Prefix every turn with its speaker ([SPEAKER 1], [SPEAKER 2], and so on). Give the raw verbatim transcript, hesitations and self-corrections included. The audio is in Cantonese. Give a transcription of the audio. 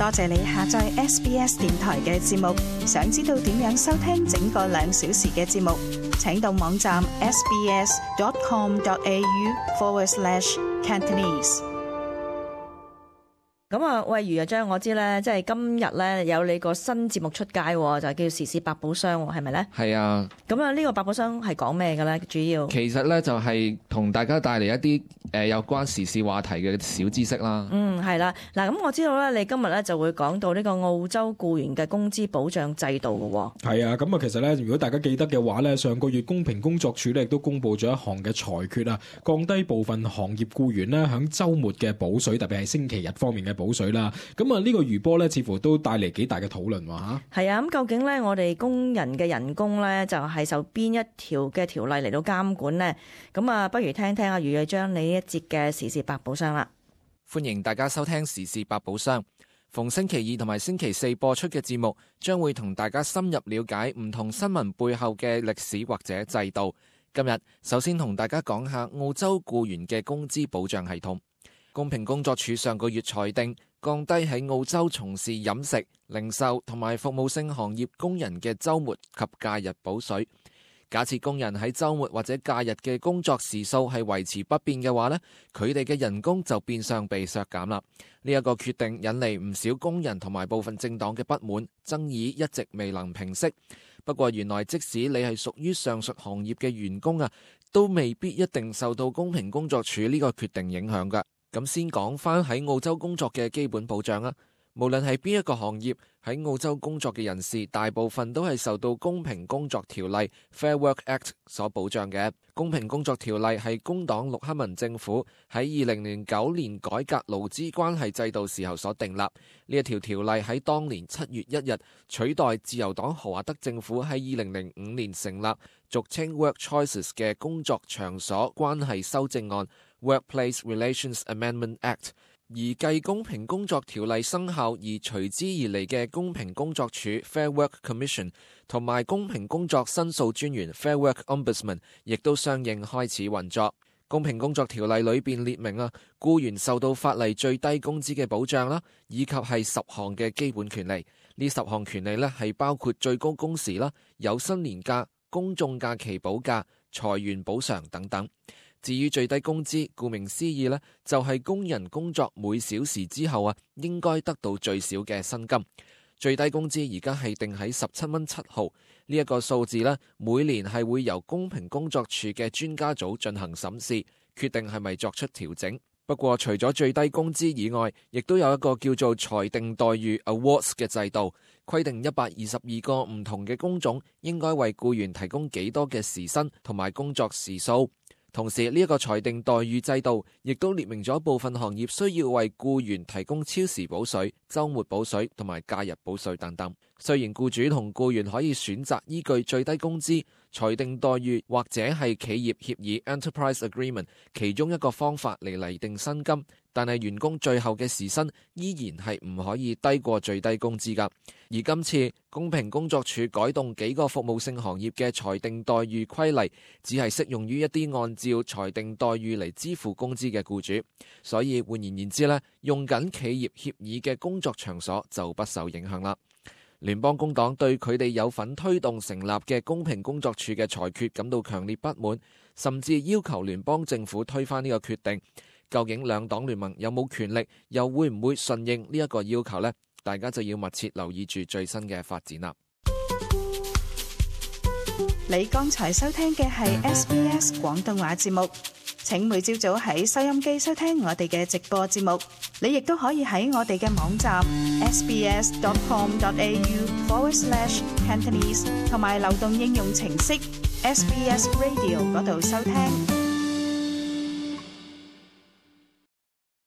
[SPEAKER 1] 多謝你下載 S B S 電台嘅節目。想知道點樣收聽整個兩小時嘅節目，請到網站 sbs.com.au forward slash Cantonese。
[SPEAKER 2] 咁啊，喂，余日章，我知咧，即係今日咧有你個新節目出街，就係叫時事百寶箱，係咪咧？
[SPEAKER 3] 係啊。
[SPEAKER 2] 咁啊，呢個百寶箱係講咩嘅咧？主要
[SPEAKER 3] 其實咧就係同大家帶嚟一啲誒有關時事話題嘅小知識啦。
[SPEAKER 2] 嗯，係啦。嗱，咁我知道咧，你今日咧就會講到呢個澳洲僱員嘅工資保障制度嘅喎。
[SPEAKER 4] 係啊，咁啊，其實咧，如果大家記得嘅話咧，上個月公平工作署咧亦都公布咗一項嘅裁決啊，降低部分行業僱員咧響週末嘅補水，特別係星期日方面嘅補水啦。咁啊，呢個餘波咧，似乎都帶嚟幾大嘅討論喎嚇。
[SPEAKER 2] 係啊，咁究竟咧，我哋工人嘅人工咧，就係受邊一條嘅條例嚟到監管呢？咁啊，不如聽聽阿余日章你呢一節嘅時事百寶箱啦。
[SPEAKER 3] 歡迎大家收聽時事百寶箱。逢星期二同埋星期四播出嘅節目，將會同大家深入了解唔同新聞背後嘅歷史或者制度。今日首先同大家講下澳洲僱員嘅工資保障系統。公平工作署上個月裁定，降低喺澳洲從事飲食、零售同埋服務性行業工人嘅週末及假日補水。假設工人喺週末或者假日嘅工作時數係維持不變嘅話呢，佢哋嘅人工就變相被削減啦。呢一個決定引嚟唔少工人同埋部分政黨嘅不滿，爭議一直未能平息。不過原來即使你係屬於上述行業嘅員工啊，都未必一定受到公平工作署呢個決定影響㗎。咁先講返喺澳洲工作嘅基本保障啊，無論係邊一個行業，喺澳洲工作嘅人士，大部分都係受到公平工作條例 Fair Work Act 所保障嘅。公平工作條例係工黨陸克文政府喺二零零九年改革勞資關係制度時候所訂立。呢一條條例喺當年七月一日取代自由黨豪華德政府喺二零零五年成立俗稱 Work Choices 嘅工作場所關係修正案 Workplace Relations Amendment Act。而繼公平工作條例生效而隨之而嚟嘅公平工作署 Fair Work Commission 同埋公平工作申訴專員 Fair Work Ombudsman 亦都相應開始運作。公平工作條例裏邊列明啊，僱員受到法例最低工資嘅保障啦，以及係十項嘅基本權利。呢十項權利呢係包括最高工時啦、有薪年假、公眾假期補假、裁員補償等等。至於最低工資，顧名思義呢就係工人工作每小時之後啊，應該得到最少嘅薪金。最低工資而家係定喺十七蚊七毫，呢一個數字呢，每年係會由公平工作署嘅專家組進行審視，決定係咪作出調整。不過除咗最低工資以外，亦都有一個叫做裁定待遇 Awards 嘅制度，規定一百二十二個唔同嘅工種應該為僱員提供幾多嘅時薪同埋工作時數。同時呢一個裁定待遇制度亦都列明咗部分行業需要為僱員提供超時補水、週末補水同埋假日補水等等。雖然僱主同僱員可以選擇依據最低工資、裁定待遇或者係企業協議 Enterprise Agreement 其中一個方法嚟釐定薪金，但係員工最後嘅時薪依然係唔可以低過最低工資㗎。而今次公平工作署改動幾個服務性行業嘅裁定待遇規例，只係適用於一啲按照裁定待遇嚟支付工資嘅僱主，所以換言言之呢，用緊企業協議嘅工作場所就不受影響啦。聯邦工黨對佢哋有份推動成立嘅公平工作署嘅裁決感到強烈不滿，甚至要求聯邦政府推翻呢個決定。究竟兩黨聯盟有冇權力，又會唔會順應呢一個要求呢？大家就要密切留意住最新嘅發展啦。
[SPEAKER 1] 你剛才收聽嘅係 S B S 廣東話節目，請每朝早喺收音機收聽我哋嘅直播節目。你亦都可以喺我哋嘅網站 sbs.com.au forward slash Cantonese 同埋流動應用程式 S B S Radio 嗰度收聽。